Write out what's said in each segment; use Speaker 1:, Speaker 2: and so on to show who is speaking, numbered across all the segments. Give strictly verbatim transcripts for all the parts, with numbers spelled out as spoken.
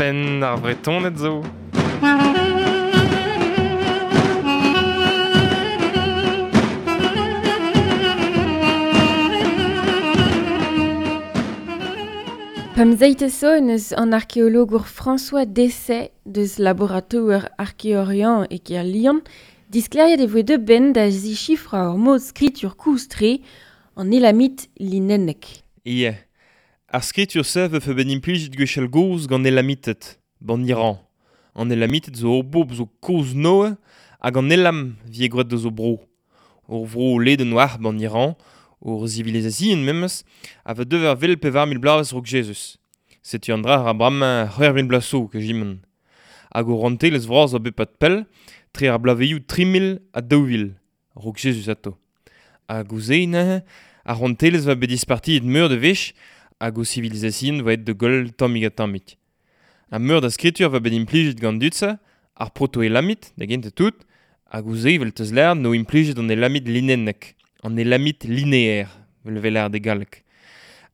Speaker 1: Penn ar Vretoned zo.
Speaker 2: Pemzeite zo neus an arkeologour François Dessay deus laboratoer Archéorient e kêr Lyon disklêriet e voe deuet ben da zichifrañ ur mod skritur kozh-tre an elamit linennek.
Speaker 1: Ie. Ar skritur-se vefe bet implijet gwechall gozh gant elamited, ban Iran. An elamited zo ur bobl zo kozh Noe hag an elam vie gwraet deus o bro. Ur vro ledenn war ban Iran, ur sivilization memes, a va dever vel pevar mil bloavezh raok Jezuz. Setu an dra ar bremañ c'hwec'h mil bloaz zo kejiment. Hag o rouantelezh vras a bep ad pell, tre ar bloavezhioù tri mil ha daou vil, raok Jezuz atao. Hag ouzh se neuze, ar rouantelezh va bet dispartiet meur da wech, hag o sivilization va aet da goll tammig ha tammig. Ha meur da skritur va bet implijet gant dud-se, ar proto-elamit, da gentañ tout, hag ouzh se vel teus lâret no implijet an elamit linennek. An elamit linéaire, vel vel ar de galleg.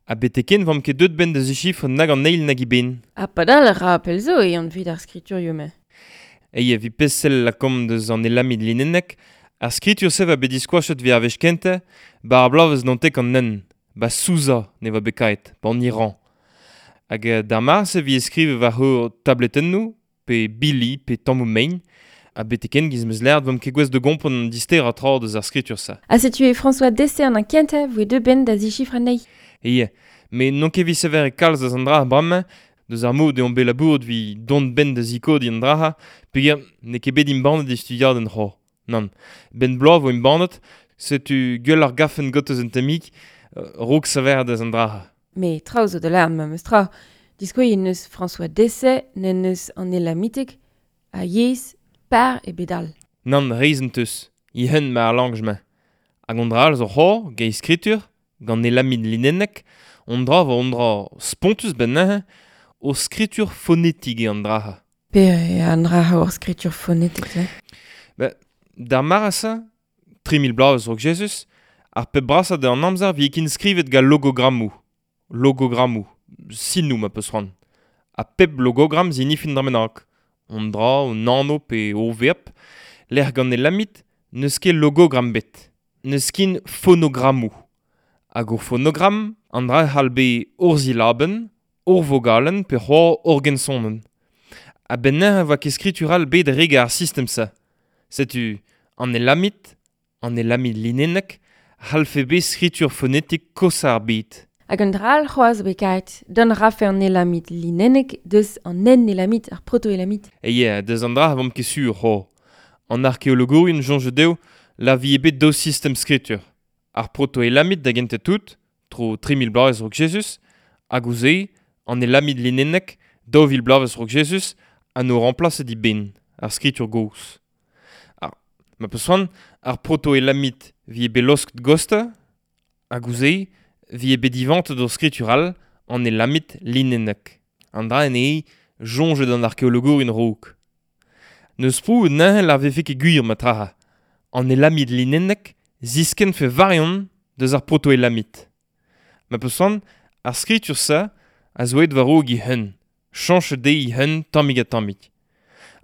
Speaker 1: Ha beteken vamp ket deut ben da zichifr nag an eil nag i ben.
Speaker 2: Ha padal ar ra pel zo e an vid ar skriturioù me.
Speaker 1: Ei vi pesel la kom deus an elamit linennek, ar skritur se va bet diskoachet vi ar wech kentañ, ba ar bloavezh nantek an nen, ba Sousa ne va bet kaet, ba an Iran. Hag d'ar mare se vi eskriv war hor tabletennoù, pe bili, pe tammoù mein, ha beteken giz meus lâret vamp ket gouest da gompren an dister a tra deus ar skritur-se.
Speaker 2: Ha setu e François Dessay an kentañ voe deuet ben da zichifr anezhi.
Speaker 1: Ie, met n'on ket evit sevel e kalz deus an dra bremañ, deus ar mod eo bet labouret vi dont ben da zikodiñ an dra, peogwir n'eo ket bet embannet e studiadenn c'hoazh. Nann, ben bloaz vo embannet, setu gwell ar gafen got eus un tammig, raok sevel deus an dra.
Speaker 2: Met traoù zo da lâret memes tra. Diskouez neus François Dessay, n'en neus an elamitek, a yezh par e bedal.
Speaker 1: Nann, reizh teus, i hen ma ar langj-mañ. Hag an dra all zo c'hoazh, gant skritur, gant elamit linennek, on dra vo on dra spontus ben neuze, o skritur fonetik eo an dra.
Speaker 2: Pe an dra ur skritur fonetik se?
Speaker 1: Ba, d'ar mare-se, tri mil bloavezh raok Jezuz, ar pep brasañ da an amzer vi ket skrivet gant logogrammoù. Logogrammoù, sinoù ma peus c'hoant. Ha pep logogram zinifin dra bennak. On dra, on anv pe o verb, lec'h gant elamit, n'eus ket logogram bet. N'eus ket fonogrammoù. Hag ur fonogram, an dra c'hall bet ur silabenn, ur vogalenn pe c'hoazh ur gensonenn. Ha ben neuze voa ket skritur all bet reg ar sistem-se. Setu an elamit, an elamit linennek, c'hallfe bet skritur fonetik kosañ ar bed.
Speaker 2: Hag an dra all c'hoazh bet kaet, don rafe an elamit linennek deus an en elamit, ar proto-elamit.
Speaker 1: E yeah, deus an dra vamp ket sur c'ho. An arkeologourien soñj dezho la vi bet daou sistem skritur. Ar proto-elamit da gentañ tout, tro tri mil bloavezh raok Jezuz, hag ouzh se, an elamit linennek, daou vil bloavezh raok Jezuz, ha no remplaset di ben, ar skritur gozh. Ar, ma peus c'hoant, ar proto-elamit vi bet laosket gosta, hag ouzh se, vi bet divantet d'ur skritur all, an elamit linennek. An dra en eo, soñjet an arkeologourien raok. N'eus prouet neuze la vefe ket gwir ma traha. An elamit linennek ziskenn fe variant deus ar proto-elamit. Ma peus c'hoant, ar skritur-se a zo aet war-raok he hun, chañchet dezhi he hun tammig ha tammig.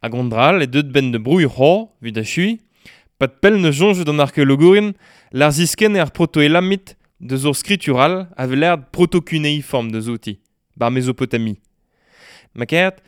Speaker 1: Hag an dra all e deut ben da brouilh c'hoazh, evit achuiñ, pad pell ne soñjet an arkeologourien lar ziskenn ar proto-elamit deus ur skritur all a vez lâret proto-cuneiform deus outi, bar Mesopotami. Ma karet,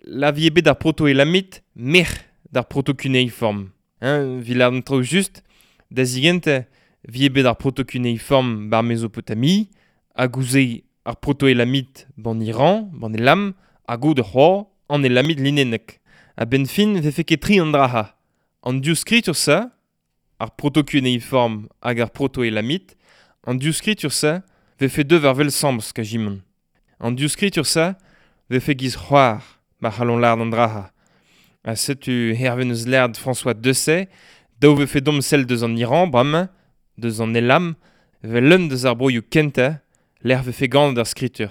Speaker 1: la vi bet ar proto-elamit merc'h d'ar proto-cuneiform. Hein, vi lâret an traoù just, da zigentañ vi bet ar proto-cuneiform bar Mesopotami, hag ouzh se ar proto-elamit ban Iran, ban Elam, hag goude c'hoazh an elamit linennek. Ha ben fin vefe ket tri an dra-ha. An div skritur-se, ar proto-cuneiform hag ar proto-elamit, an div skritur-se vefe deuet war wel sambs kajimon. An div skritur-se vefe giz c'hoar ma c'hallon lâret an dra-ha. Ha setu hervez neus lâret François Dessay, daou vefe domp sell deus an Iran bremañ, deus an Elam, vel leun deus ar broioù kentañ, lec'h vefe ganet ar skritur.